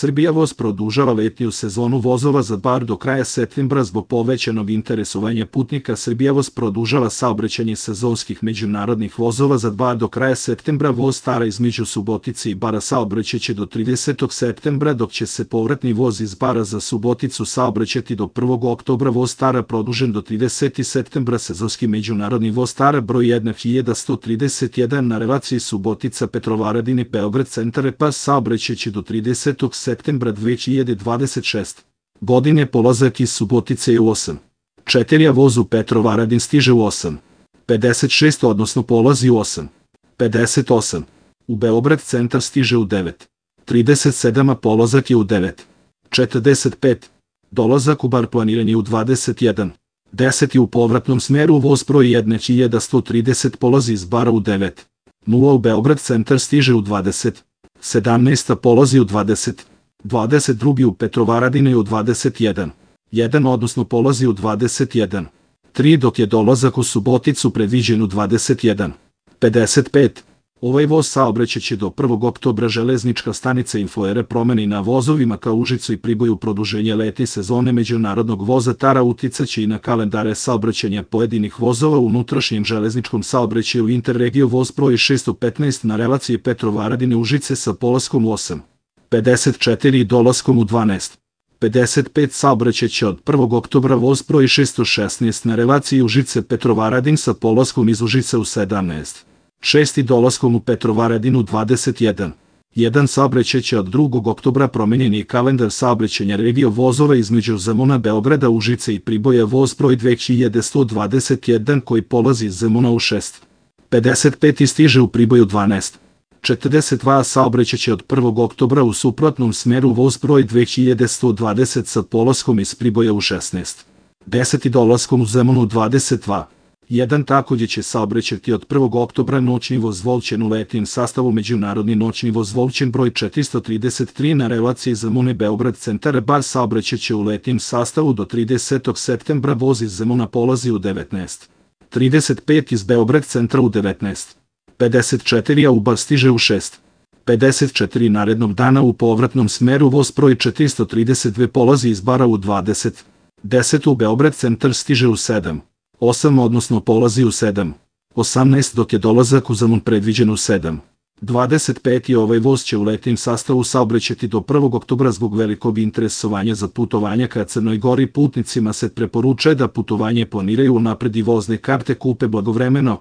Srbija voz produžava letnju sezonu vozova za bar do kraja septembra zbog povećanog interesovanja putnika. Srbija voz produžava saobraćanje sezonskih međunarodnih vozova za bar do kraja septembra. Voz Stara između Subotice i Bara saobraćaće do 30. septembra, dok će se povratni voz iz Bara za Suboticu saobraćati do 1. oktobra. Voz Stara produžen do 30. septembra. Sezonski međunarodni voz Stara broj 1131 na relaciji Subotica-Petrovaradin i Beograd-Centar pas saobraćaće do 30. septembra 2026. godine. Polazak iz Subotice je u 8:04, a voz u Petrovaradin stiže u 8:56, odnosno polazi u 8:58. U Beograd Centar stiže u 9:37, a polazak je u 9:45. Dolazak u Bar planiran je u 21:10 i u povratnom smeru voz broj 1130 polazi iz Bara u 9:0, u Beograd Centar stiže u 20:17, a polazi u 20:22, u Petrovaradin je u 21:1, odnosno polazi u 21:3, dok je dolazak u Suboticu predviđen u 21:55. Ovaj voz saobraćaće do 1. oktobra. Železnička stanica Infoere promeni na vozovima ka Užicu i Priboju. Produženje letnje sezone međunarodnog voza Tara uticaće i na kalendare saobraćanja pojedinih vozova u unutrašnjem železničkom saobraćaju. Interregio voz broj 615 na relaciji Petrovaradin i Užice sa polaskom u 8:54 i dolaskom u 12:55 saobraćaće od 1. oktobra. Voz broj 616 na relaciji Užice-Petrovaradin sa polaskom iz Užice u 17:06 i dolaskom u Petrovaradin u 21:01 saobraćaće od 2. oktobra. Promenjen je kalendar saobraćanja regio vozova između Zemuna, Beograda, Užice i Priboja. Voz broj 2121 koji polazi iz Zemuna u 6:55 i stiže u Priboju 12:42 saobraćaće od 1. oktobra u suprotnom smeru. Voz broj 2120 sa polaskom iz Priboja u 16:10 i dolaskom u Zemun u 22:01 takođe će saobraćati od 1. oktobra noćni voz Volćen u letnjem sastavu. Međunarodni noćni voz Volćen broj 433 na relaciji Zemune Beograd Centar bar saobraćaće u letnjem sastavu do 30. septembra. Voz iz Zemuna polazi u 19:35 iz Beograd Centra u 19:54, a u Bar stiže u 6:54 narednog dana. U povratnom smeru voz broj 432 polazi iz Bara u 20:10, u Beograd Centar stiže u 7:08, odnosno polazi u 7:18, dok je dolazak u Zemun predviđen u 7:25 i ovaj voz će u letnjem sastavu saobraćati do 1. oktobra. Zbog velikog interesovanja za putovanja ka Crnoj Gori putnicima se preporučuje da putovanje planiraju unapred i vozne karte kupe blagovremeno.